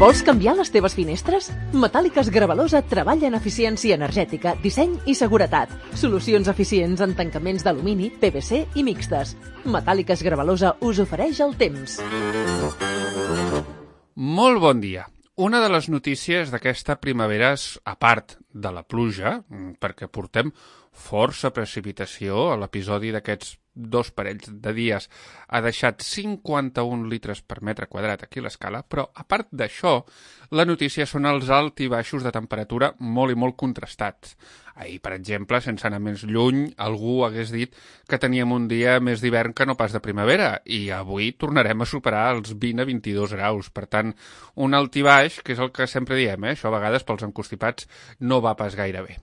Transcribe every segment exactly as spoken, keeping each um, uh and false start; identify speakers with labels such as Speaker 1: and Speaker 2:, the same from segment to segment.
Speaker 1: Vols canviar les teves finestres? Metàl·liques Gravalosa treballa en eficiència energètica, disseny i seguretat. Solucions eficients en tancaments d'alumini, P V C i mixtes. Metàl·liques Gravalosa us ofereix el temps.
Speaker 2: Molt bon dia. Una de les notícies d'aquesta primavera és, a part de la pluja, perquè portem força precipitació, a l'episodi d'aquests dos parells de dies ha deixat cinquanta-un litres per metre quadrat aquí a l'escala, però a part d'això, la notícia són els alts i baixos de temperatura molt i molt contrastats. Ahir, per exemple, sense anar més lluny, algú hagués dit que teníem un dia més d'hivern que no pas de primavera, i avui tornarem a superar els vint a vint-i-dos graus. Per tant, un alt i baix, que és el que sempre diem, eh? Això a vegades pels encostipats no va pas gaire bé.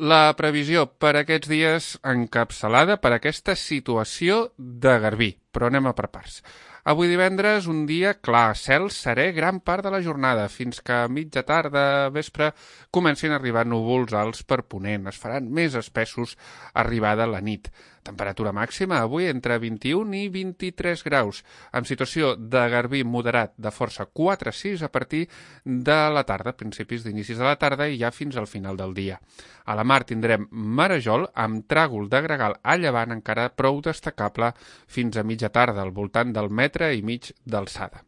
Speaker 2: La previsió per aquests dies encapçalada per aquesta situació de garbí, però anem a per parts. Avui divendres, un dia clar, cel serè gran part de la jornada, fins que a mitja tarda, vespre, comencin a arribar núvols alts per ponent. Es faran més espessos arribada la nit. Temperatura màxima avui entre vint-i-un i vint-i-tres graus, amb situació de garbí moderat de força quatre a sis a partir de la tarda, principis d'inicis de la tarda i ja fins al final del dia. A la mar tindrem marejol amb tràgol de gregal a llevant encara prou destacable fins a mitja tarda, al voltant del metre i mig d'alçada.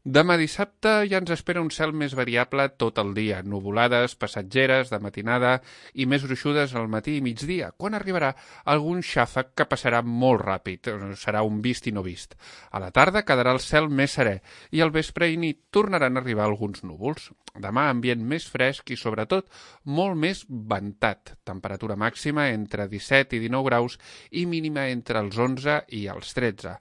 Speaker 2: Demà dissabte ja ens espera un cel més variable tot el dia, nuvolades, passatgeres, de matinada i més gruixudes al matí i migdia, quan arribarà algun xàfec que passarà molt ràpid, serà un vist i no vist. A la tarda quedarà el cel més serè i al vespre i nit tornaran a arribar alguns núvols. Demà ambient més fresc i sobretot molt més ventat, temperatura màxima entre disset i dinou graus i mínima entre els onze i els tretze.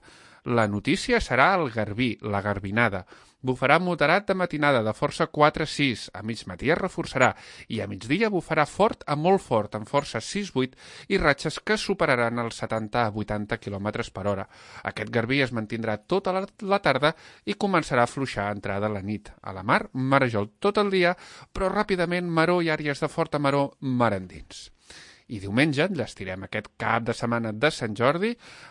Speaker 2: La notícia serà el garbí, la garbinada. Bufarà moderat de matinada de força quatre a sis, a mig matí es reforçarà i a migdia bufarà fort a molt fort, amb força sis a vuit i ratxes que superaran els setanta a vuitanta quilòmetres per hora. Aquest garbí es mantindrà tota la tarda i començarà a fluixar a entrada a la nit. A la mar, marejol tot el dia, però ràpidament maror i àrees de forta maror mar endins. I diumenge enllestirem aquest cap de setmana de Sant Jordi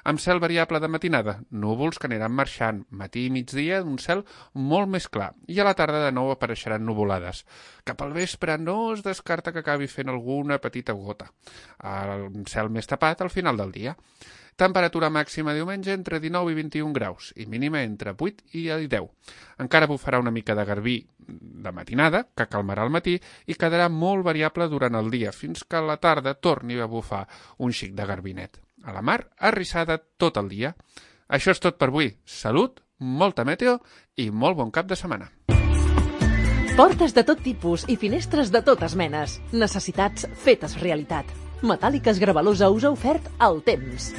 Speaker 2: amb cel variable de matinada, núvols que aniran marxant, matí i migdia un cel molt més clar i a la tarda de nou apareixeran nuvolades. Cap al vespre no es descarta que acabi fent alguna petita gota. El cel més tapat al final del dia. Temperatura màxima diumenge entre dinou i vint-i-un graus i mínima entre vuit i deu. Encara bufarà una mica de garbí de matinada, que calmarà al matí i quedarà molt variable durant el dia, fins que a la tarda torni a bufar un xic de garbinet. A la mar, arrissada tot el dia. Això és tot per avui. Salut, molta meteo i molt bon cap de setmana.
Speaker 1: Portes de tot tipus i finestres de totes menes. Necessitats fetes realitat. Metàl·liques Gravalosa us ha ofert el temps.